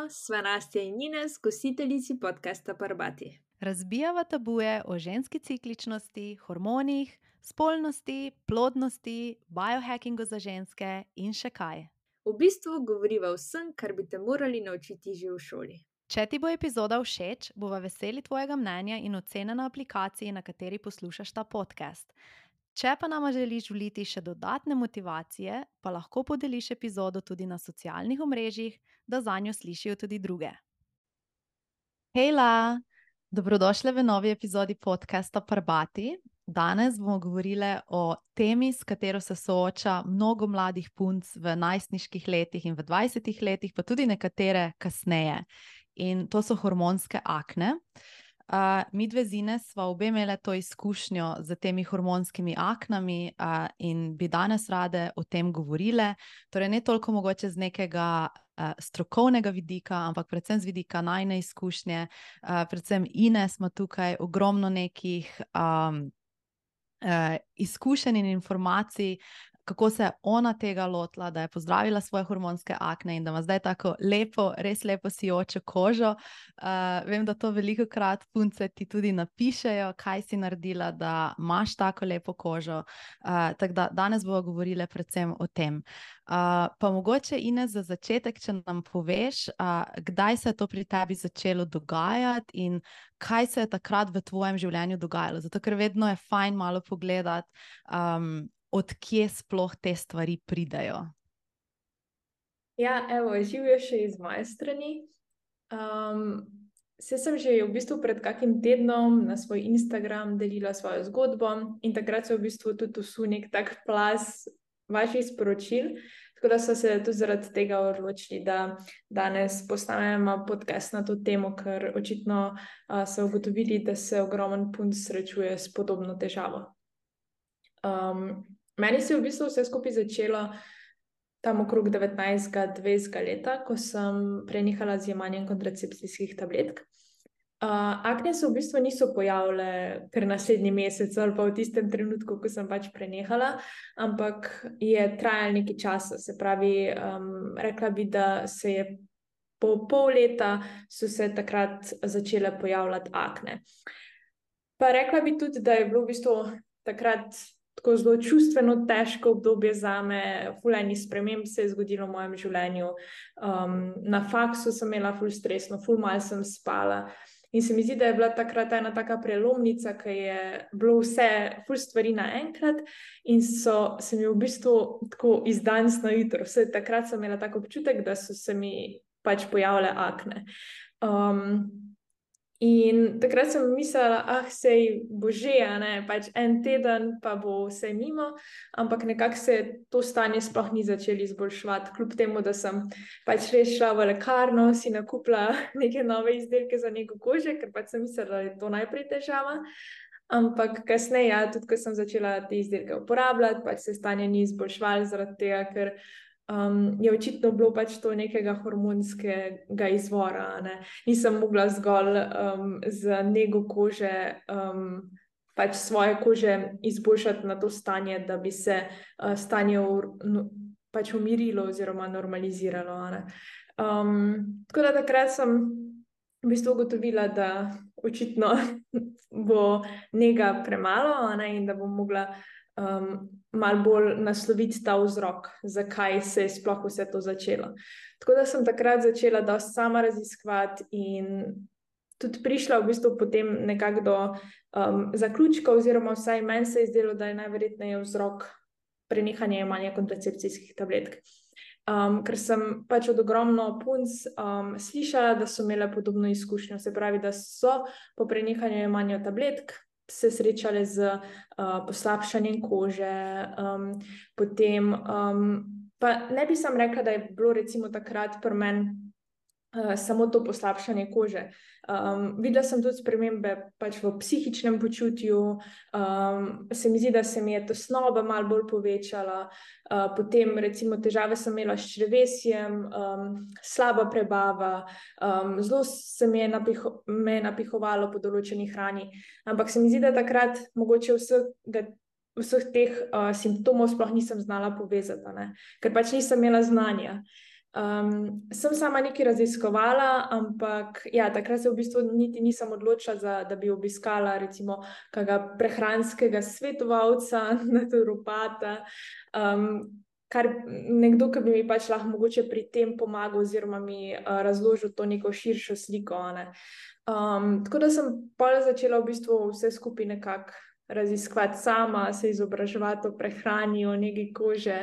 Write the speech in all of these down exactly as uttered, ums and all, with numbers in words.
Živijo, sva Nastja in Ines, gostiteljici podcasta Parbati. Razbijava tabuje o ženski cikličnosti, hormonih, spolnosti, plodnosti, biohackingu za ženske in še kaj. V bistvu govoriva vsem, kar bi te morali naučiti že v šoli. Če ti bo epizoda všeč, bova veseli tvojega mnenja in ocene na aplikaciji, na kateri poslušaš ta podcast. Če pa nama želiš vliti še dodatne motivacije, pa lahko podeliš epizodo tudi na socialnih omrežjih, da zanjo slišijo tudi druge. Hejla! Dobrodošli v novi epizodi podcasta Parbati. Danes bomo govorili o temi, s katero se sooča mnogo mladih punc v najstniških letih in v dvajsetih letih, pa tudi nekatere kasneje. In to so hormonske akne. Uh, mi dve z Ines sva obe imele to izkušnjo z temi hormonskimi aknami uh, in bi danes rade o tem govorile. Torej ne toliko mogoče z nekega uh, strokovnega vidika, ampak predvsem z vidika najne izkušnje. Uh, predvsem Ines ima tukaj ogromno nekih um, uh, izkušenj in informacij, kako se je ona tega lotila, da je pozdravila svoje hormonske akne in da ima zdaj tako lepo, res lepo sijočo kožo. Uh, vem, da to veliko krat punce ti tudi napišejo, kaj si naredila, da imaš tako lepo kožo. Uh, tako da danes bomo govorili predvsem o tem. Uh, pa mogoče, Ines, za začetek, če nam poveš, uh, kdaj se je to pri tebi začelo dogajati in kaj se je takrat v tvojem življenju dogajalo. Zato, ker vedno je fajn malo pogledati, um, odkje sploh te stvari pridejo. Ja, evo, živijo še iz moje strani. Um, se sem že v bistvu pred kakim tednom na svoj Instagram delila svojo zgodbo in takrat se v bistvu tudi vsu nek tak plaz vaših sporočil, tako da so se tudi zaradi tega odločili, da danes posnamemo podcast na to temo, ker očitno uh, so ugotovili, da se ogromen punc srečuje s podobno težavo. Um, Meni se je v bistvu vse skupaj začelo tam okrog devetnajstega, dvajsetega leta, ko sem prenehala z jemanjem kontracepcijskih tabletk. Uh, akne se v bistvu niso pojavile kar naslednji mesec ali pa v tistem trenutku, ko sem pač prenehala, ampak je trajalo nekaj časa. Se pravi, um, rekla bi, da se je po pol leta so se takrat začele pojavljati akne. Pa rekla bi tudi, da je bilo v bistvu takrat tako zelo čustveno težko obdobje zame, ful enih sprememb se je zgodilo v mojem življenju. Um, na faksu sem imela ful stresno, ful malo sem spala. In se mi zdi, da je bila takrat ena taka prelomnica, ki je bilo vse ful stvari naenkrat in so se mi v bistvu tako iz danes na jutro. Vse takrat sem imela tak občutek, da so se mi pač pojavile akne. Um, In takrat sem mislila, ah, sej bo že, a ne, pač en teden pa bo vse mimo, ampak nekako se to stanje sploh ni začelo izboljševati, kljub temu, da sem pač res šla v lekarno, si nakupila neke nove izdelke za nego kože, ker pač sem mislila, da je to najprej težava. Ampak kasneje, ja, tudi ko sem začela te izdelke uporabljati, pač se stanje ni izboljševalo zaradi tega, ker Um, je očitno bilo pač to nekega hormonskega izvora. Ne? Nisem mogla zgolj um, z nego kože um, pač svoje kože izboljšati na to stanje, da bi se uh, stanje no, pač umirilo oziroma normaliziralo. Ne? Um, tako da takrat sem v bistvu ugotovila, da očitno bo nega premalo, ne? In da bom mogla Um, malo bolj nasloviti ta vzrok, zakaj se je sploh vse to začelo. Tako da sem takrat začela dosti sama raziskovati in tudi prišla v bistvu potem nekako do um, zaključka, oziroma vsaj meni se je zdelo, da je najverjetneje vzrok prenehanje jemanja kontracepcijskih tabletk. Um, ker sem pač od ogromno punc um, slišala, da so imele podobno izkušnjo, se pravi, da so po prenehanju jemanja tabletk se srečale z uh, poslabšanjem kože, um, potem um, pa ne bi sam rekla, da je bilo recimo takrat pri meni uh, samo to poslabšanje kože. Um, videla sem tudi spremembe pač v psihičnem počutju, um, se mi zdi, da se mi je tesnoba malo bolj povečala, uh, potem recimo težave sem imela s črevesjem, um, slaba prebava, um, zelo se mi je, napiho, me je napihovalo po določeni hrani, ampak se mi zdi, da takrat mogoče vsega vseh teh uh, simptomov sploh nisem znala povezati, ne? Ker pač nisem imela znanja. Um, sem sama nekaj raziskovala, ampak ja, takrat se v bistvu niti nisem odločila, za, da bi obiskala recimo kakega prehranskega svetovalca, naturopata, um, kar nekdo, ki bi mi pač lahko mogoče pri tem pomagal oziroma mi uh, razložil to neko širšo sliko. Ne. Um, tako da sem pol začela v bistvu vse skupaj nekako raziskovati sama, se izobraževati o prehrani, o negi kože.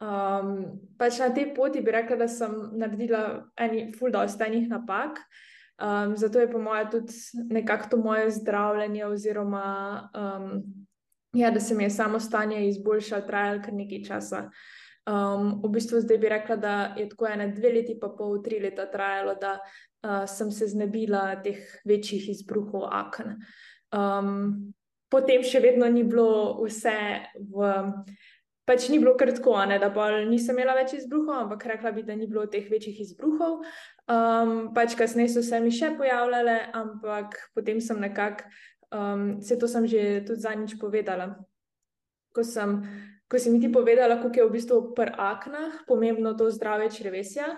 Um, pač na tej poti bi rekla, da sem naredila eni ful dosti enih napak, um, zato je po moje tudi nekako to moje zdravljenje oziroma um, ja, da se mi je samo stanje izboljšalo, trajalo kar nekaj časa. Um, v bistvu zdaj bi rekla, da je tako ene dve leti pa pol, tri leta trajalo, da uh, sem se znebila teh večjih izbruhov aken. Um, potem še vedno ni bilo vse v... Pač ni bilo kar tako, ne, da bolj nisem imela več izbruhov, ampak rekla bi, da ni bilo teh večjih izbruhov. Um, pač kasneje so se mi še pojavljale, ampak potem sem nekako, um, vse to sem že tudi zadnjič povedala. Ko sem, ko si mi ti povedala, koliko je v bistvu pri aknah pomembno to zdravje črevesja,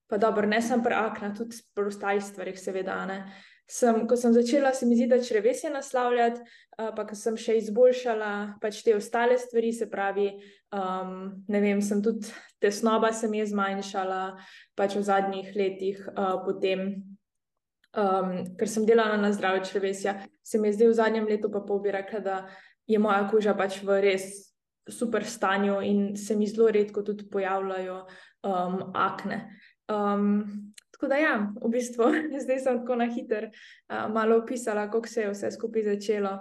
pa dobro, ne sem pri aknah, tudi pri ostalih stvarih seveda, ne. Sem, ko sem začela se mi zdi, da črevesje naslavljati, uh, pa ko sem še izboljšala pač te ostale stvari, se pravi, um, ne vem, sem tudi tesnoba se mi je zmanjšala pač v zadnjih letih, uh, potem, um, ker sem delala na zdravje črevesja, se mi je zdaj v zadnjem letu pa pol bi rekla, da je moja koža pač v res super stanju in se mi zelo redko tudi pojavljajo um, akne. Um, Tako da ja, v bistvu, zdaj sem tako na hiter uh, malo opisala, kako se je vse skupaj začelo.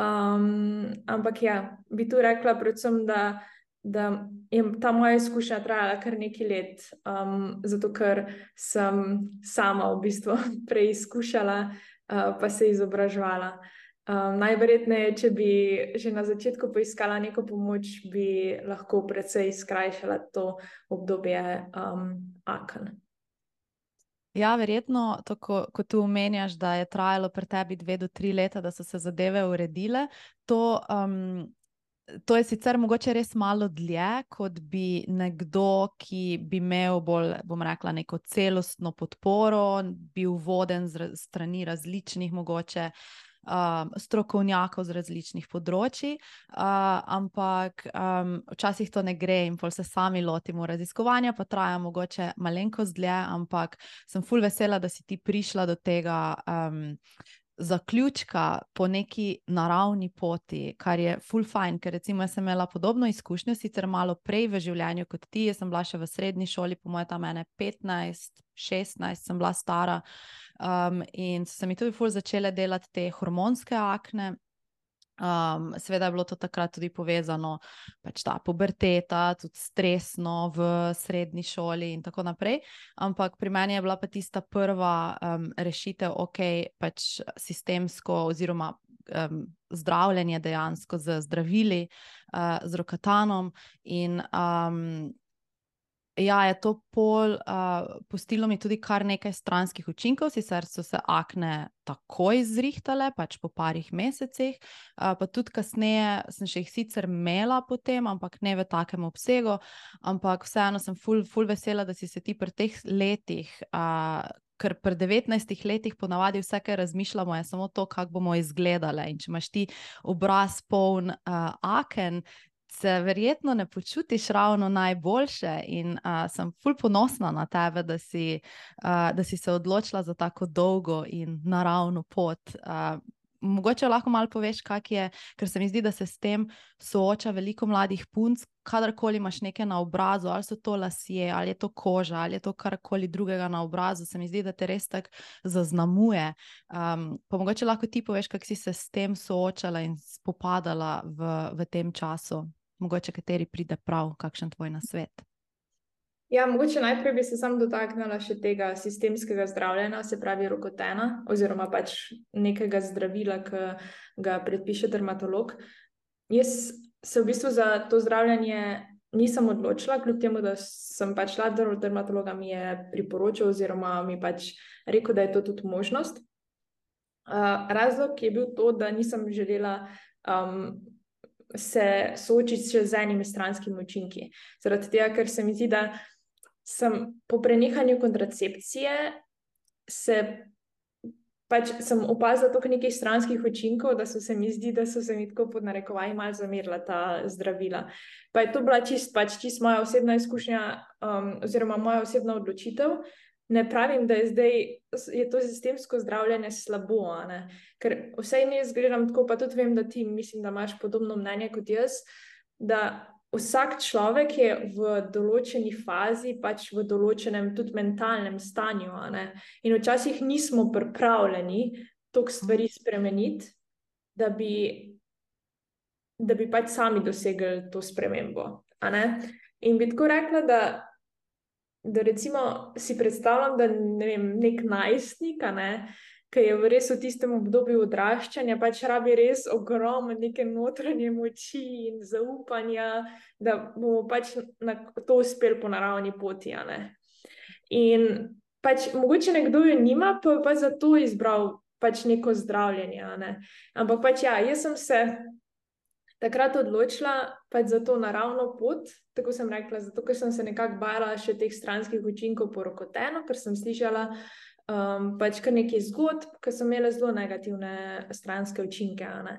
Um, ampak ja, bi tu rekla predvsem, da, da je ta moja izkušnja trajala kar nekaj let, um, zato ker sem sama v bistvu preizkušala uh, pa se izobraževala. Um, najverjetneje, če bi že na začetku poiskala neko pomoč, bi lahko precej skrajšala to obdobje um, aken. Ja, verjetno, to, ko, ko tu omenjaš, da je trajalo pri tebi dve do tri leta, da so se zadeve uredile, to, um, to je sicer mogoče res malo dlje, kot bi nekdo, ki bi imel bolj, bom rekla, neko celostno podporo, bil voden z strani različnih mogoče Um, strokovnjakov z različnih področji, uh, ampak um, včasih to ne gre in pol se sami lotimo raziskovanja, pa traja mogoče malenkost dlje, ampak sem ful vesela, da si ti prišla do tega um, zaključka po neki naravni poti, kar je ful fajn, ker recimo jaz sem imela podobno izkušnjo, sicer malo prej v življenju kot ti, jaz sem bila še v srednji šoli, po moje tam ene petnajst, šestnajst sem bila stara, um, in so se mi tudi ful začele delati te hormonske akne. Um, seveda je bilo to takrat tudi povezano, pač ta puberteta, tudi stresno v srednji šoli in tako naprej, ampak pri meni je bila pa tista prva um, rešitev, ok, pač sistemsko oziroma um, zdravljenje dejansko z zdravili, uh, z Rokatanom in um, ja, je to pol uh, pustilo mi tudi kar nekaj stranskih učinkov, sicer so se akne takoj zrihtale, pač po parih mesecih, uh, pa tudi kasneje sem še jih sicer imela potem, ampak ne v takem obsegu, ampak vseeno sem ful, ful vesela, da si se ti pri teh letih, uh, ker pri devetnajstih letih ponavadi vse, kar razmišljamo, je samo to, kako bomo izgledale, in če imaš ti obraz poln uh, aken, se verjetno ne počutiš ravno najboljše in uh, sem ful ponosna na tebe, da si, uh, da si se odločila za tako dolgo in naravno pot. Uh, mogoče lahko malo poveš, kak je, ker se mi zdi, da se s tem sooča veliko mladih punc, kadarkoli imaš nekaj na obrazu, ali so to lasje, ali je to koža, ali je to karkoli drugega na obrazu, se mi zdi, da te res tako zaznamuje. Um, pa mogoče lahko ti poveš, kak si se s tem soočala in spopadala v, v tem času. Mogoče kateri pride prav, kakšen tvoj nasvet? Ja, mogoče najprej bi se sam dotaknila še tega sistemskega zdravljenja, se pravi Rokatana, oziroma pač nekega zdravila, ki ga predpiše dermatolog. Jaz se v bistvu za to zdravljenje nisem odločila, kljub temu, da sem pač šla do dermatologa, mi je priporočil oziroma mi pač rekel, da je to tudi možnost. Uh, razlog je bil to, da nisem želela um, se soočiti še z enimi stranskimi učinki. Zaradi tega, ker se mi zdi, da sem po prenehanju kontracepcije se pač sem opazila toliko nekih stranskih učinkov, da so se mi zdi, da so se mi tako pod narekovaji malo zamerila ta zdravila. Pa je to bila čist, pač čist moja osebna izkušnja um, oziroma moja osebna odločitev. Ne pravim, da je zdaj je to sistemsko zdravljenje slabo, a ne? Ker vsej ne zgledam tako, pa tudi vem, da ti mislim, da imaš podobno mnenje kot jaz, da vsak človek je v določeni fazi, pač v določenem tudi mentalnem stanju, a ne? In včasih nismo pripravljeni toliko stvari spremeniti, da bi, da bi pač sami dosegli to spremembo, a ne? In bi tako rekla, da, da recimo si predstavljam, da ne vem, nek najstnik, a ne, ki je v res v tistem obdobju odraščanja, pač rabi res ogromno neke notranje moči in zaupanja, da bomo pač na to uspeli po naravni poti, a ne. In pač mogoče nekdo jo nima, pa pa zato izbral pač neko zdravljenje, a ne. Ampak pač ja, jaz sem se takrat odločila pač za to naravno pot, tako sem rekla, zato ker sem se nekako bala še teh stranskih učinkov po rokotenu, ker sem slišala Um, pač kar nekaj zgodb, ki so imele zelo negativne stranske učinke. A ne?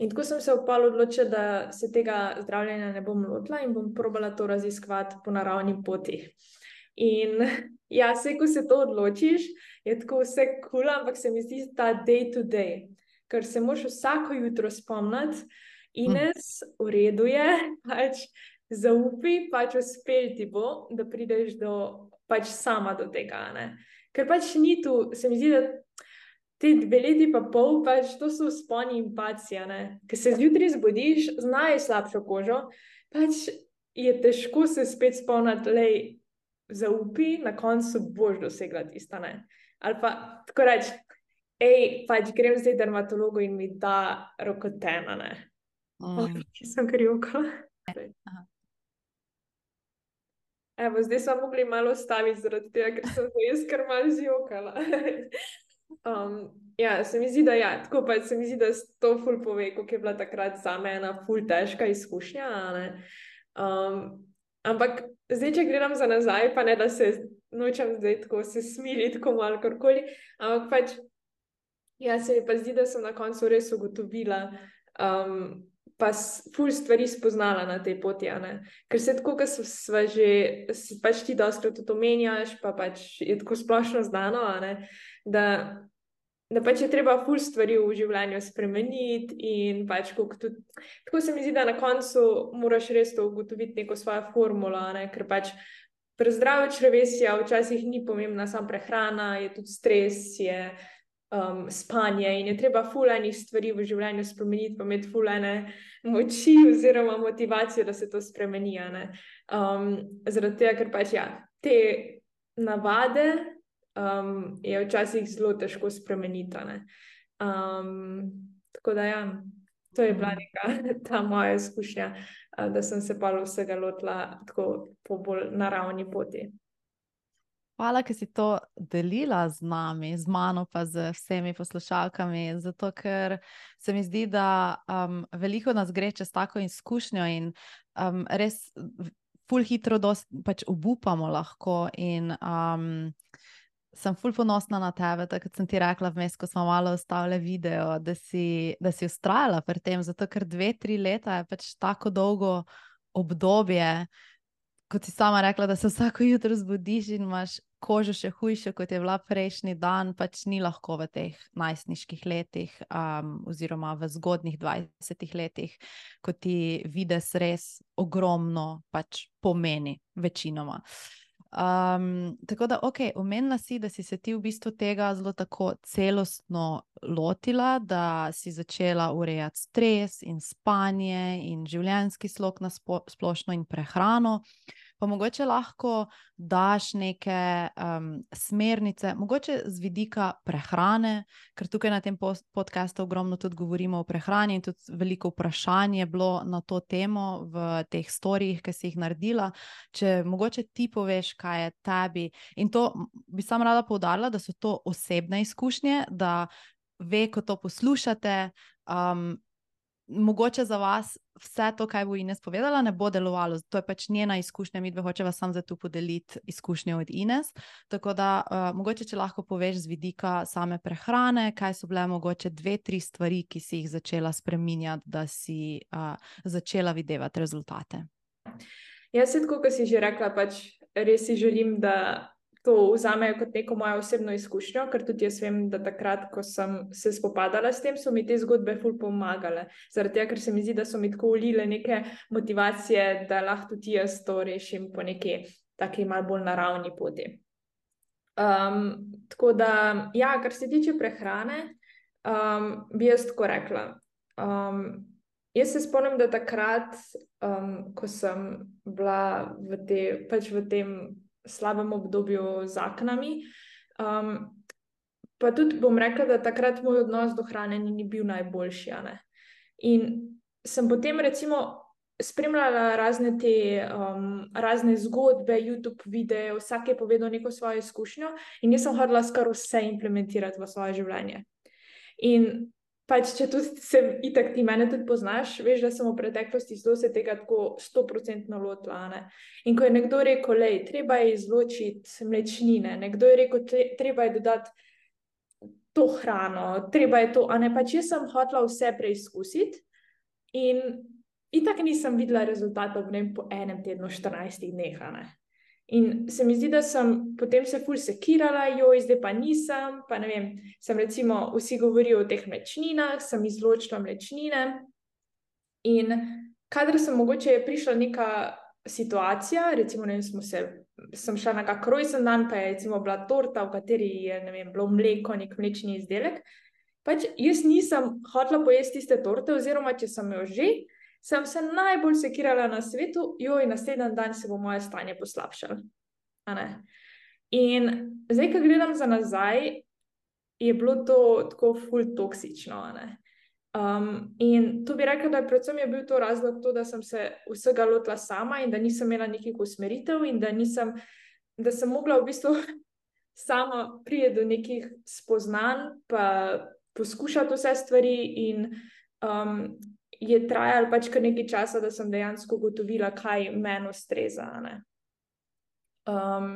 In tako sem se v pol odločila, da se tega zdravljenja ne bom lotila in bom probala to raziskovati po naravni poti. In ja, vse, ko se to odločiš, je tako vse cool, ampak se mi zdi ta day to day, ker se moraš vsako jutro spomniti, Ines, v redu je, pač zaupi, pač uspel ti bo, da prideš do, pač sama do tega, ne. Ker pač ni tu, se mi zdi, da te dve leti pa pol, pač to so vzponi in padci, ne. Ker se zjutraj zbudiš, z najslabšo kožo, pač je težko se spet spomniti, lej, zaupi, na koncu boš dosegla tista, ne. Ali pa tako reči, ej, pač grem zdaj dermatologu in mi da rokotena, ne. Mm. Če sem kar jokala. Evo, zdaj smo mogli malo ostaviti zaradi tega, ker sem se jaz kar malo zjokala. um, ja, se mi zdi, da ja, tako pa se mi zdi, da to ful pove, koliko je bila takrat zame ena ful težka izkušnja, ne. Um, ampak zdaj, če gledam za nazaj, pa ne, da se nočem zdaj tako se smiliti, tako malo karkoli, ampak pač, ja, se mi pa zdi, da sem na koncu res ugotovila, um, pa ful stvari spoznala na tej poti, a ne. Ker se tako, ko sva že, pač ti dostikrat tudi omenjaš, pa pač je tako splošno znano, a ne, da, da pač je treba ful stvari v življenju spremeniti in pač koliko tudi, tako se mi zdi, da na koncu moraš res to ugotoviti neko svojo formulo, a ne, ker pač pri zdravju črevesja včasih ni pomembna samo prehrana, je tudi stres, je Um, spanje in je treba ful enih stvari v življenju spremeniti, pa imeti ful ene moči oziroma motivacijo, da se to spremeni, a ne. Um, zaradi tega, ker pač ja, te navade um, je včasih zelo težko spremeniti, a ne. Um, tako da ja, to je bila neka ta moja izkušnja, da sem se pa vsega lotila tako po bolj naravni poti. Hvala, ker si to delila z nami, z mano pa z vsemi poslušalkami, zato ker se mi zdi, da um, veliko nas gre čez tako izkušnjo in um, res ful hitro dost, pač obupamo lahko in um, sem ful ponosna na tebe, tako kot sem ti rekla vmes, ko smo malo ostavili video, da si, da si ustrajala pri tem, zato ker dve, tri leta je pač tako dolgo obdobje, kot si sama rekla, da se vsako jutro zbudiš in imaš kožo še hujšo, kot je bila prejšnji dan, pač ni lahko v teh najstniških letih um, oziroma v zgodnjih dvajsetih letih, ko ti vides res ogromno pač pomeni večinoma. Um, tako da, ok, omenila si, da si se ti v bistvu tega zelo tako celostno lotila, da si začela urejati stres in spanje in življenjski slog na spo, splošno in prehrano. Pa mogoče lahko daš neke um, smernice, mogoče z vidika prehrane, ker tukaj na tem podcastu ogromno tudi govorimo o prehrani in tudi veliko vprašanj je bilo na to temo v teh storijih, ki si jih naredila. Če mogoče ti poveš, kaj je tebi. In to bi sam rada poudarila, da so to osebne izkušnje, da ve, ko to poslušate, um, mogoče za vas vse to, kaj bo Ines povedala, ne bo delovalo. To je pač njena izkušnja, mi dve hočeva sam za tu podeliti izkušnje od Ines. Tako da uh, mogoče, če lahko poveš z vidika same prehrane, kaj so bile mogoče dve, tri stvari, ki si jih začela spreminjati, da si uh, začela videvati rezultate. Jaz se tako, kot si že rekla, pač res si želim, da to vzamejo kot neko mojo osebno izkušnjo, ker tudi jaz vem, da takrat, ko sem se spopadala s tem, so mi te zgodbe ful pomagale. Zaradi tega, ker se mi zdi, da so mi tako vlile neke motivacije, da lahko tudi jaz to rešim po neki taki malo bolj naravni poti. Um, tako da, ja, kar se tiče prehrane, um, bi jaz tako rekla. Um, jaz se spomnim, da takrat, um, ko sem bila v, te, pač v tem slabem obdobju z aknami. Um, pa tudi bom rekla, da takrat moj odnos do hrane ni bil najboljši. Ne? In sem potem recimo spremljala razne te um, razne zgodbe, YouTube videe, vsak je povedal neko svojo izkušnjo in jaz sem hodila skoro vse implementirati v svoje življenje. In pač, če tudi se itak ti mene tudi poznaš, veš, da sem v preteklosti zelo se tega tako sto procentno lotila. Ne? In ko je nekdo rekel, lej, treba je izločiti mlečnine, nekdo je rekel, treba je dodati to hrano, treba je to, a ne, pač jaz sem hotela vse preizkusiti in itak nisem videla rezultatov v po enem tednu, štirinajstih dneh, a ne. In se mi zdi, da sem potem se ful sekirala, joj, zdaj pa nisem, pa ne vem, sem recimo, vsi govorijo o teh mlečninah, sem izločila mlečnine in kadar sem mogoče je prišla neka situacija, recimo, ne vem, smo se, sem šla na kak rojsten dan, pa je recimo bila torta, v kateri je, ne vem, bilo mleko, nek mlečni izdelek, pač jaz nisem hotela pojesti tiste torte, oziroma če sem jo že, sem se najbolj sekirala na svetu, joj, naslednji dan se bo moje stanje poslabšalo. In zdaj, ko gledam za nazaj, je bilo to tako ful toksično. Um, in to bi rekla, da predvsem je bil to razlog to, da sem se vsega lotila sama in da nisem imela nekih usmeritev in da nisem, da sem mogla v bistvu sama priti do nekih spoznanj, pa poskušati vse stvari in um, je trajalo pač kar nekaj časa, da sem dejansko ugotovila, kaj meni ustreza. Um,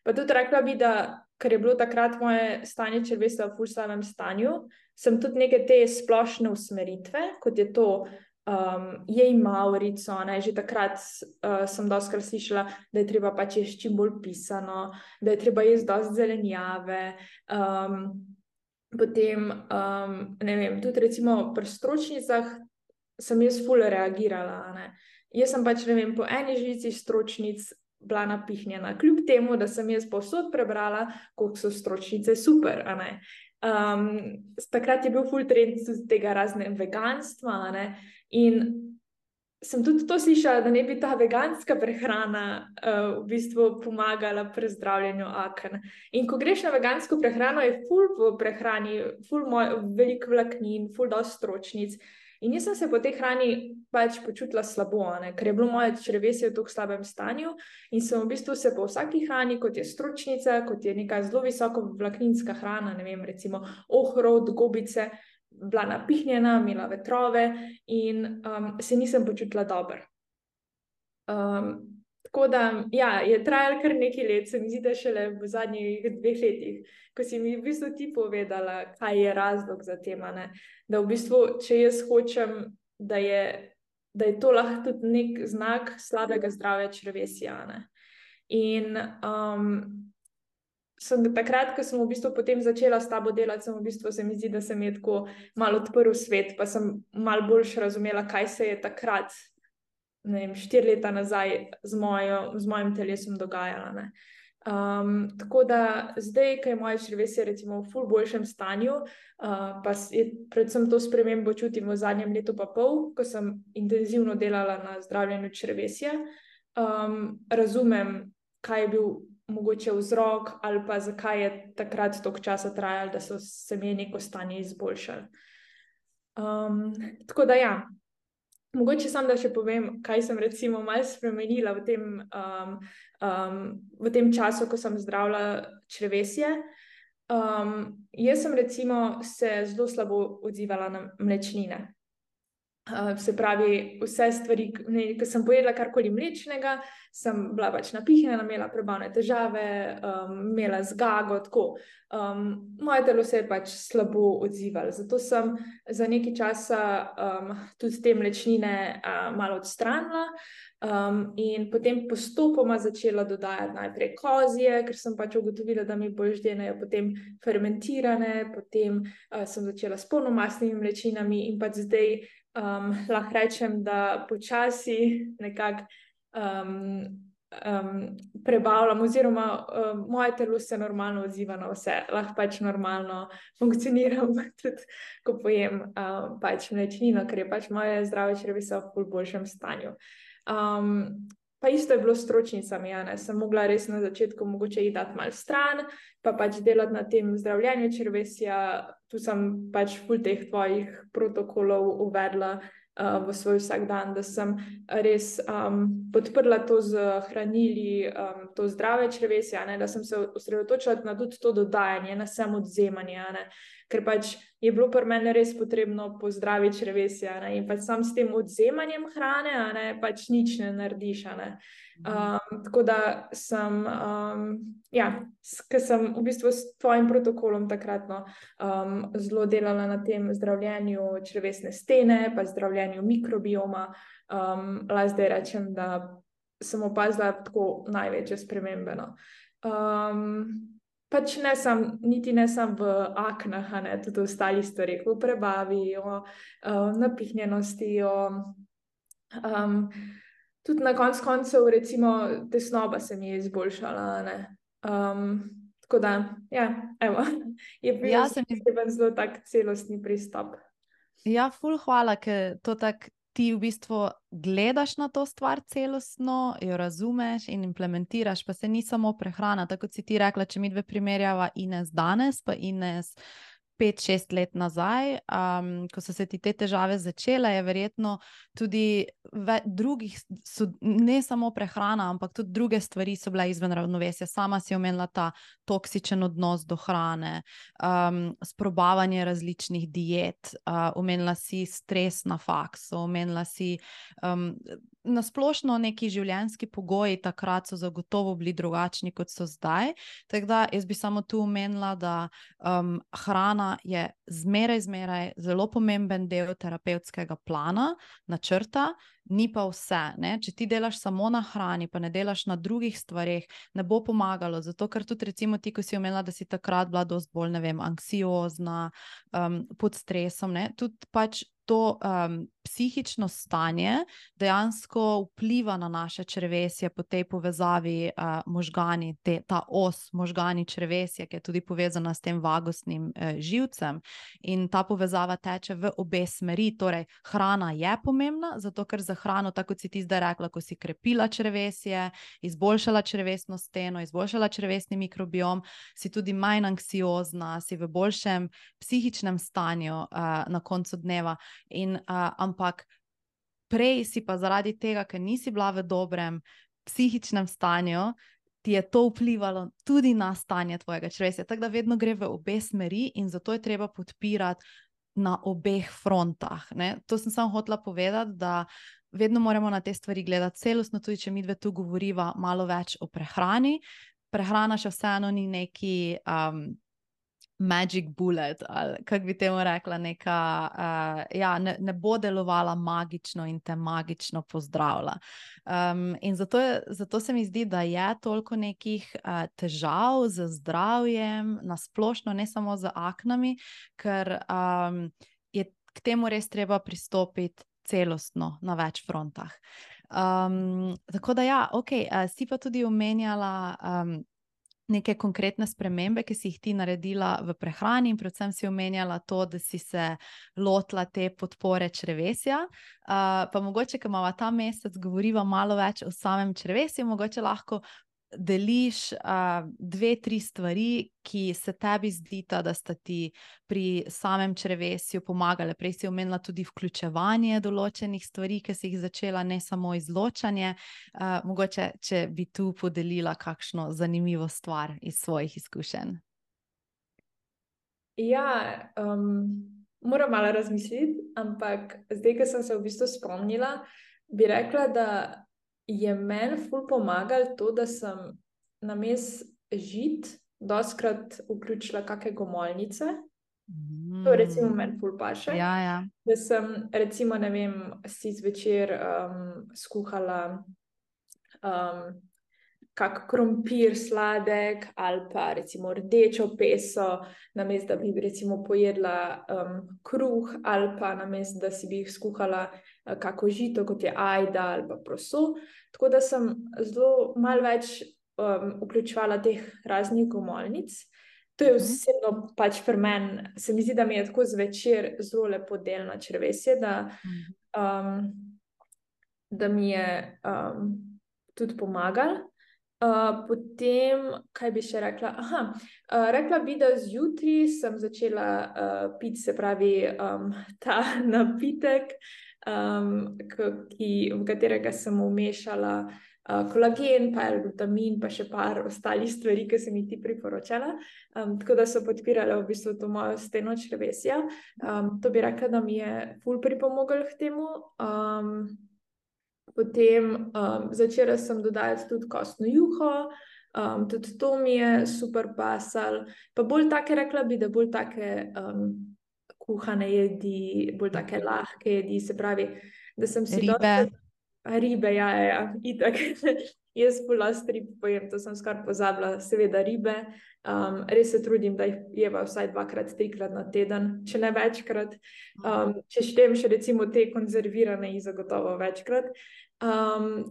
pa tudi rekla bi, da ker je bilo takrat moje stanje črevesja v ful slabem stanju, sem tudi neke te splošne usmeritve, kot je to um, jej mavrico, ne, že takrat uh, sem dostikrat slišala, da je treba pač jesti čim bolj pisano, da je treba jesti dosti zelenjave, um, potem, um, ne vem, tudi recimo pri stročnicah sem jaz ful reagirala. Ne. Jaz sem pač, ne vem, po eni žlici stročnic bila napihnjena, kljub temu, da sem jaz povsod prebrala, koliko so stročnice super. A ne. Um, takrat je bil ful trend tega razne veganstva, a ne. In sem tudi to slišala, da ne bi ta veganska prehrana uh, v bistvu pomagala pri zdravljenju aken. In ko greš na vegansko prehrano, je ful v prehrani, ful veliko vlaknin, ful dosti stročnic. In jaz sem se po tej hrani pač počutila slabo, ne? Ker je bilo moje črevesje v tako slabem stanju in sem v bistvu se po vsaki hrani, kot je stročnica, kot je neka zelo visoko vlakninska hrana, ne vem, recimo ohrovt, gobice, bila napihnjena, imela vetrove in um, se nisem počutila dobro. Um, tako da, ja, je trajalo kar nekaj let, se mi zdi, da šele v zadnjih dveh letih, ko si mi v bistvu ti povedala, kaj je razlog za tema, ne? Da v bistvu, če jaz hočem, da je, da je to lahko tudi nek znak slabega zdravja črevesja, ne? In um, sem takrat, ko sem v bistvu potem začela s tabo delati, sem v bistvu se mi zdi, da se mi je tako malo odprl svet, pa sem malo boljš razumela, kaj se je takrat, ne vem, štiri leta nazaj z, mojo, z mojim telesom dogajalo, ne. Um, tako da zdaj, ko je moje črevesje recimo v ful boljšem stanju, uh, pa je predvsem to spremembo čutim v zadnjem letu pa pol, ko sem intenzivno delala na zdravljenju črevesja, um, razumem, kaj je bil mogoče vzrok ali pa zakaj je takrat toliko časa trajalo, da so se mi neko stanje izboljšali. Um, tako da ja, mogoče sam, da še povem, kaj sem recimo malo spremenila v tem, um, um, v tem času, ko sem zdravila črevesje. Um, jaz sem recimo se zelo slabo odzivala na mlečnine. Uh, se pravi, vse stvari, ko sem pojedla karkoli mlečnega, sem bila pač napihnjena, imela prebavne težave, um, imela zgago, tako. Um, moje telo se je pač slabo odzivalo, zato sem za nekaj časa um, tudi te mlečnine uh, malo odstranila um, in potem postopoma začela dodajati najprej kozje, ker sem pač ugotovila, da mi bolj ždenejo, potem fermentirane, potem uh, sem začela s polnomastnimi mlečinami in pač zdaj Um, lahko rečem, da počasi nekako um, um, prebavljam, oziroma um, moje telo se normalno odziva na vse, lahko pač normalno funkcioniram, tudi ko pojem um, pač mlečnino, ker je pač moje zdrave črevesje v ful boljšem stanju. Um, pa isto je bilo s stročnicami, ja, ne, sem mogla res na začetku mogoče jih dati malo stran, pa pač delati na tem zdravljenju črevesja. Tu sem pač ful teh tvojih protokolov uvedla uh, v svoj vsakdan, da sem res um, podprla to z hranili, um, to zdrave črevesje, ne, da sem se osredotočila na tudi to dodajanje, na samo odzemanje, ne, ker pač je bilo pri meni res potrebno pozdraviti črevesje, ne, in pač sam s tem odzemanjem hrane, ne, pač nič ne narediš, ne. Um, tako da sem, um, ja, ker sem v bistvu s tvojim protokolom takratno um, zelo delala na tem zdravljenju črevesne stene, pa zdravljenju mikrobioma, um, lahko zdaj rečem, da sem opazila tako največje spremembe. No. Um, pač ne sam, niti ne sam v aknah, ne, tudi ostali stvari, v prebavi, o um, napihnjenosti, o um, tudi na koncu koncev, recimo, tesnoba se mi je izboljšala, ne. Um, tako da, ja, evo, je bil Ja, se mi zelo tak celostni pristop. Ja, ful hvala, ker to tak ti v bistvu gledaš na to stvar celostno, jo razumeš in implementiraš, pa se ni samo prehrana, tako kot si ti rekla, če mi dve primerjava Ines danes, pa Ines pet, šest let nazaj, um, ko so se ti te težave začele, je verjetno tudi ve, drugih, so, ne samo prehrana, ampak tudi druge stvari so bile izven ravnovesja. Sama si omenila ta toksičen odnos do hrane, um, sprobavanje različnih diet, uh, omenila si stres na faksu, omenila si um, nasplošno neki življenjski pogoji takrat so zagotovo bili drugačni, kot so zdaj. Tako da jaz bi samo tu omenila, da um, hrana je zmeraj, zmeraj zelo pomemben del terapevtskega plana, načrta, ni pa vse. Ne? Če ti delaš samo na hrani, pa ne delaš na drugih stvareh, ne bo pomagalo. Zato, ker tudi recimo ti, ko si omenila, da si takrat bila dosti bolj, ne vem, anksiozna, um, pod stresom, ne? Tudi pač to um, psihično stanje dejansko vpliva na naše črevesje po tej povezavi uh, možgani, te, ta os možgani črevesje, ki je tudi povezana s tem vagusnim uh, živcem. In ta povezava teče v obe smeri. Torej, hrana je pomembna, zato ker za hrano, tako kot si ti zdaj rekla, ko si krepila črevesje, izboljšala črevesno steno, izboljšala črevesni mikrobiom, si tudi manj anksiozna, si v boljšem psihičnem stanju uh, na koncu dneva. In, uh, ampak prej si pa zaradi tega, ker nisi bila v dobrem psihičnem stanju, ti je to vplivalo tudi na stanje tvojega črevesja. Tako da vedno gre v obe smeri in zato je treba podpirati na obeh frontah. Ne? To sem samo hotela povedati, da vedno moramo na te stvari gledati celostno, tudi če mi dve tu govoriva malo več o prehrani. Prehrana še vseeno ni neki um, magic bullet, ali kako bi temu rekla, neka, uh, ja, ne, ne bo delovala magično in te magično pozdravila. Um, in zato, je, zato se mi zdi, da je toliko nekih uh, težav z zdravjem, nasplošno, ne samo z aknami, ker um, je k temu res treba pristopiti celostno na več frontah. Um, tako da ja, ok, uh, si pa tudi omenjala um, neke konkretne spremembe, ki si jih ti naredila v prehrani in predvsem si omenjala to, da si se lotila te podpore črevesja. Uh, pa mogoče, ko imamo ta mesec, govoriva malo več o samem črevesju, mogoče lahko deliš uh, dve, tri stvari, ki se tebi zdita, da sta ti pri samem črevesju pomagale. Prej si omenila tudi vključevanje določenih stvari, ki si jih začela, ne samo izločanje. Uh, mogoče, če bi tu podelila kakšno zanimivo stvar iz svojih izkušenj. Ja, um, moram malo razmisliti, ampak zdaj, ko sem se v bistvu spomnila, bi rekla, da je meni ful pomagalo to, da sem namesto žit dostikrat vključila kakšne gomolnice. Mm. To recimo meni ful paše. Ja, ja. Da sem recimo, ne vem, si zvečer um, skuhala um, kak krompir sladek ali pa recimo rdečo peso, namesto da bi recimo pojedla um, kruh ali pa namesto da si bi skuhala uh, kako žito, kot je ajda ali pa proso. Tako da sem zelo malo več um, vključevala teh raznih gomolnic. To je vseeno pač pri meni, se mi zdi, da mi je tako zvečer zelo lepo delno črevesje, da, um, da mi je um, tudi pomagalo. Uh, potem, kaj bi še rekla? Aha, uh, rekla bi, da zjutraj sem začela uh, piti, se pravi, um, ta napitek, um, ki, v katerega sem umešala uh, kolagen, pa L-glutamin, pa še par ostalih stvari, ki sem jih ti priporočala. Um, tako da so podpirale v bistvu to mojo steno črevesja. Um, to bi rekla, da mi je ful pripomoglo k temu. Um, Potem um, začela sem dodajati tudi kostno juho, um, tudi to mi je super pasal. Pa bolj take, rekla bi, da bolj take um, kuhane jedi, bolj take lahke jedi, se pravi, da sem si Ribe. dosti... Ribe, ja, ja, ja, itak. Jaz polasti rib pojem, to sem skoraj pozabila, seveda ribe. Um, res se trudim, da jih jeva vsaj dvakrat, trikrat na teden, če ne večkrat. Um, če štem še recimo te konzervirane, jih zagotovo večkrat. Um,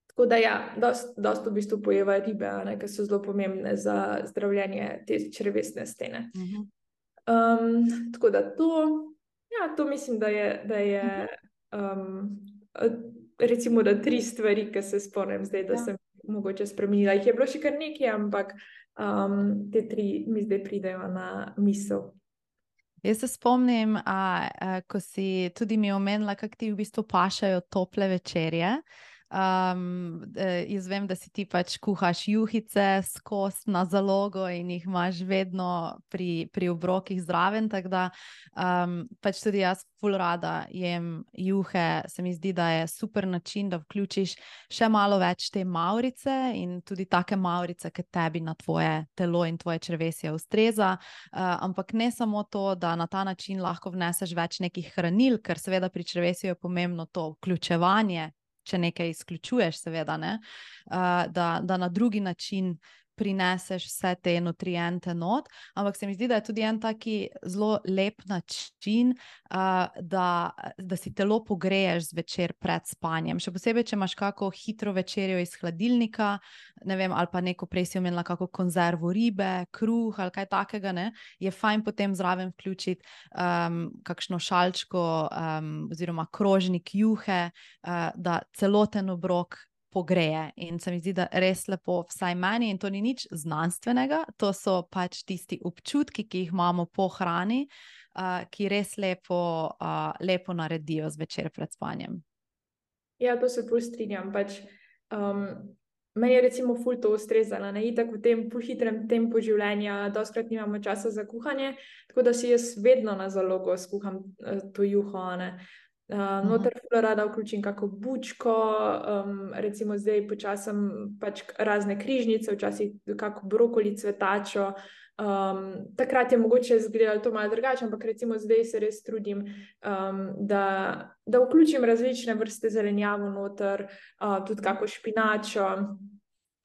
tako da ja, dost, dost v bistvu pojeva ribe, ne, ki so zelo pomembne za zdravljenje te črevesne stene. Um, tako da to, ja, to mislim, da je, da je um, recimo, da tri stvari, ki se spomnim zdaj, da ja. sem mogoče spremenila. Jih je bilo še kar nekaj, ampak um, te tri mi zdaj pridejo na misel. Jaz se spomnim, a, a, ko si tudi mi omenila, kako ti v bistvu pašajo tople večerje. Um, jaz vem, da si ti pač kuhaš juhice skozi na zalogo in jih imaš vedno pri, pri obrokih zraven, tako da um, pač tudi jaz ful rada jem juhe. Se mi zdi, da je super način, da vključiš še malo več te mavrice in tudi take mavrice, ki tebi na tvoje telo in tvoje črevesje ustreza, uh, ampak ne samo to, da na ta način lahko vneseš več nekih hranil, ker seveda pri črevesju je pomembno to vključevanje, če nekaj izključuješ, seveda, ne, uh, da, da na drugi način prineseš vse te nutriente not, ampak se mi zdi, da je tudi en taki zelo lep način, uh, da, da si telo pogreješ zvečer pred spanjem. Še posebej, če imaš kako hitro večerjo iz hladilnika, ne vem, ali pa neko prej si omenila kako konzervo ribe, kruh ali kaj takega, ne, je fajn potem zraven vključiti um, kakšno šalčko um, oziroma krožnik juhe, uh, da celoten obrok pogreje in se mi zdi, da res lepo vsaj meni in to ni nič znanstvenega, to so pač tisti občutki, ki jih imamo po hrani, uh, ki res lepo, uh, lepo naredijo zvečer pred spanjem. Ja, to se ful strinjam, pač um, meni je recimo ful to ustrezalo, ne, itak v tem hitrem tempu življenja, dostikrat nimamo časa za kuhanje, tako da si jaz vedno na zalogo skuham uh, to juho, ne. Uh, noter ful rada vključim kako bučko, um, recimo zdaj počasem pač razne križnice, včasih kako brokoli, cvetačo. Um, takrat je mogoče izgledalo to malo drugače, ampak recimo zdaj se res trudim, um, da, da vključim različne vrste zelenjavo noter, uh, tudi kako špinačo,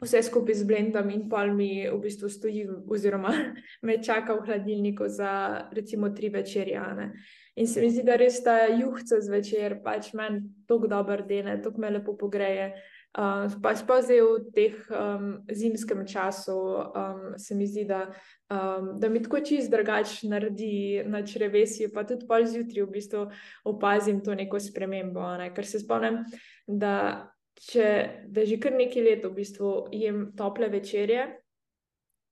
vse skupaj z blendam in pol mi v bistvu stoji oziroma me čaka v hladilniku za recimo tri večerje, ne. In se mi zdi, da res ta juhca zvečer pač meni toliko dober dene, toliko me lepo pogreje. Uh, pa sploh zdaj v teh um, zimskem času um, se mi zdi, da, um, da mi tako čist drugače naredi na črevesju, pa tudi pol zjutraj v bistvu opazim to neko spremembo, ne? Ker se spomnim, da, če, da že kar nekaj let v bistvu jem tople večerje.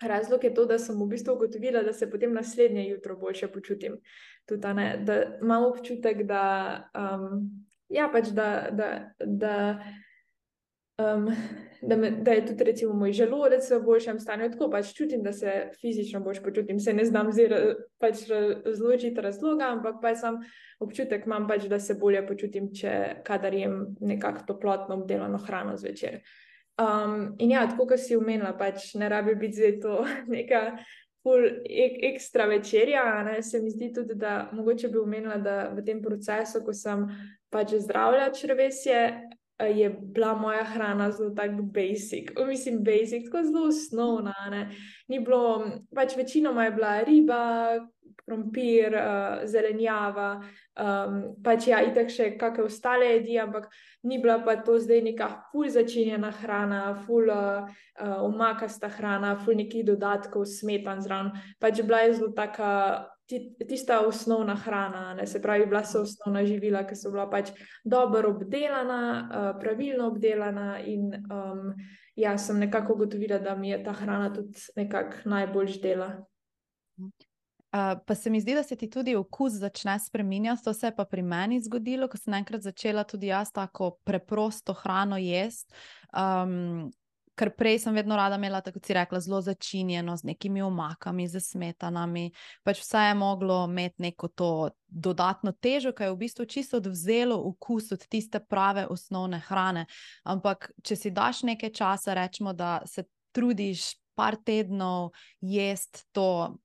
Razlog je to, da sem v bistvu ugotovila, da se potem naslednje jutro boljše počutim. Tudi, ne, da imam občutek, da, um, ja, pač, da, da, da Um, da, me, da je tudi recimo moj želodec v boljšem stanju, tako pač čutim, da se fizično bolj počutim, se ne znam zdaj pač razložiti razloga, ampak pač sam občutek imam pač, da se bolje počutim, če kadar jem nekako toplotno obdelano hrano zvečer. Um, in ja, tako, kot si omenila, pač ne rabi biti zdaj to neka ful ek, ekstra večerja, ne? Se mi zdi tudi, da mogoče bi omenila, da v tem procesu, ko sem pač zdravila črevesje, je bila moja hrana zelo tako basic, mislim basic, tako zelo osnovna, ne. Ni bilo, pač večinoma je bila riba, krompir, uh, zelenjava, um, pač ja, itak še kakšne ostale jedi, ampak ni bila pa to zdaj neka ful začinjena hrana, ful uh, uh, omakasta hrana, ful nekih dodatkov, smetan zraven, pač bila je zelo taka tista osnovna hrana, ne, se pravi, bila so osnovna živila, ki so bila pač dobro obdelana, uh, pravilno obdelana in um, ja, sem nekako ugotovila, da mi je ta hrana tudi nekako najbolj ždela. Uh, pa se mi zdi, da se ti tudi okus začne spreminjati, to se je pa pri meni zgodilo, ko sem enkrat začela tudi jaz tako preprosto hrano jesti, um, ker prej sem vedno rada imela, tako si rekla, zelo začinjeno, z nekimi omakami, z smetanami, pač vse je moglo imeti neko to dodatno težo, ki je v bistvu čisto odvzelo okus od tiste prave osnovne hrane. Ampak, če si daš nekaj časa, rečemo, da se trudiš par tednov jesti to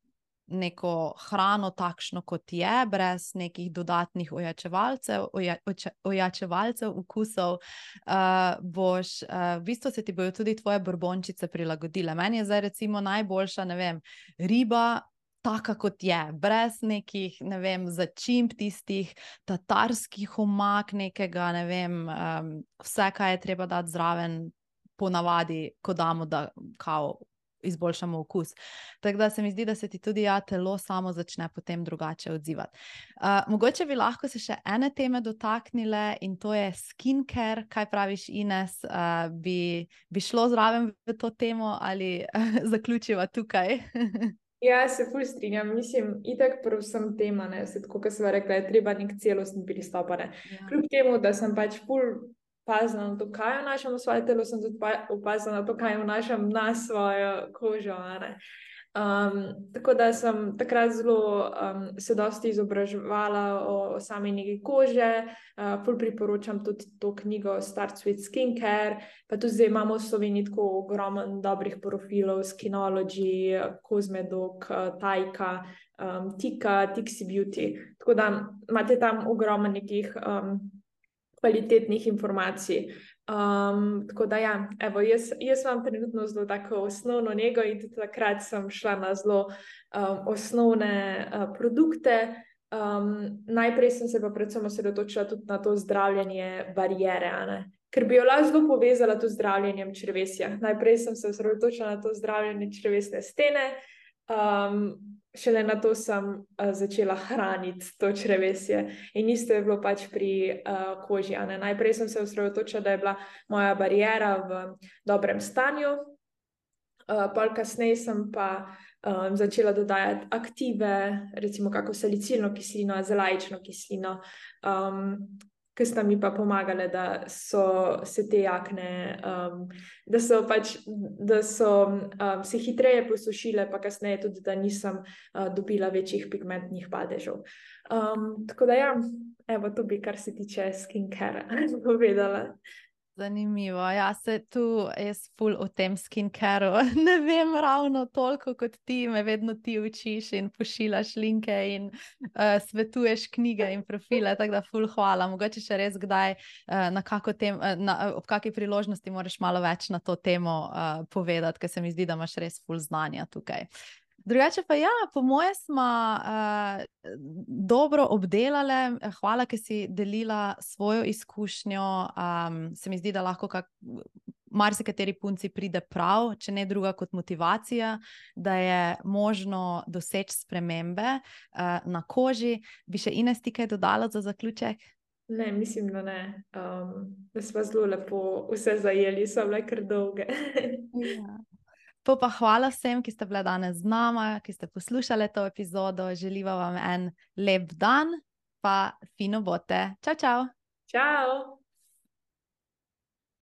neko hrano takšno, kot je, brez nekih dodatnih ojačevalcev, oja, oča, ojačevalcev okusov, uh, boš, uh, v bistvu se ti bojo tudi tvoje borbončice prilagodile. Meni je zdaj recimo najboljša, ne vem, riba, taka kot je, brez nekih, ne vem, začimb tistih tatarskih omak, nekega, ne vem, um, vse, kaj je treba dati zraven, ponavadi, ko damo, da kao izboljšamo okus. Tako da se mi zdi, da se ti tudi ja, telo samo začne potem drugače odzivati. Uh, mogoče bi lahko se še ene teme dotaknile in to je skincare. Kaj praviš, Ines? Uh, bi, bi šlo zraven v to temo ali uh, zaključiva tukaj? Ja, se ful strinjam. Mislim, itak predvsem tema, ne, se tako, kot sva rekla, je treba nek celostni pristop, ne. Ja. Kljub temu, da sem pač ful opazila na to, kaj vnašam v svoje telo, sem tudi opazila na to, kaj vnašam na svojo kožo, ne. Um, tako da sem takrat zelo um, se dosti izobraževala o, o sami negi kože, uh, ful priporočam tudi to knjigo Start with Skincare, pa tudi zdaj imamo v Sloveniji tako ogromen dobrih profilov, Skinology, Cosmedoc, Tajka, um, Tika, Tixi Beauty, tako da imate tam ogromen nekih um, kvalitetnih informacij. Um, tako da ja, evo, jaz, jaz imam trenutno zelo tako osnovno nego in tudi takrat sem šla na zelo um, osnovne uh, produkte. Um, najprej sem se pa predvsem osredotočila tudi na to zdravljenje bariere, ne? Ker bi jo lahko zelo povezala tudi z zdravljenjem črevesja. Najprej sem se osredotočila na to zdravljenje črevesne stene, um, šele na to sem uh, začela hraniti to črevesje in isto je bilo pač pri uh, koži. Ne? Najprej sem se osredotočila, da je bila moja bariera v dobrem stanju, uh, pol kasneje sem pa um, začela dodajati aktive, recimo kako salicilno kislino, azelajično kislino, um, ki sta mi pa pomagale, da so se te jakne, um, da so pač, da so um, se hitreje posušile, pa kasneje tudi, da nisem uh, dobila večjih pigmentnih padežev. Um, tako da ja, evo, to bi, kar se tiče skincare, povedala. Zanimivo. Ja, se tu jaz ful o tem skincareu ne vem ravno toliko kot ti, me vedno ti učiš in pošiljaš linke in uh, svetuješ knjige in profile, tako da ful hvala. Mogoče še res kdaj uh, na kako tem, uh, na, ob kakej priložnosti moraš malo več na to temo uh, povedati, ker se mi zdi, da imaš res ful znanja tukaj. Drugače pa ja, po moje smo uh, dobro obdelale. Hvala, ker si delila svojo izkušnjo. Um, se mi zdi, da lahko kak, marsikateri punci pride prav, če ne druga kot motivacija, da je možno doseči spremembe uh, na koži. Bi še Ines ti kaj dodala za zaključek? Ne, mislim, da ne. Um, da smo zelo lepo vse zajeli, so bile kar dolge. Ja. To pa hvala vsem, ki ste bile danes z nama, ki ste poslušali to epizodo. Želiva vam en lep dan, pa fino bote. Čau, čau! Čau!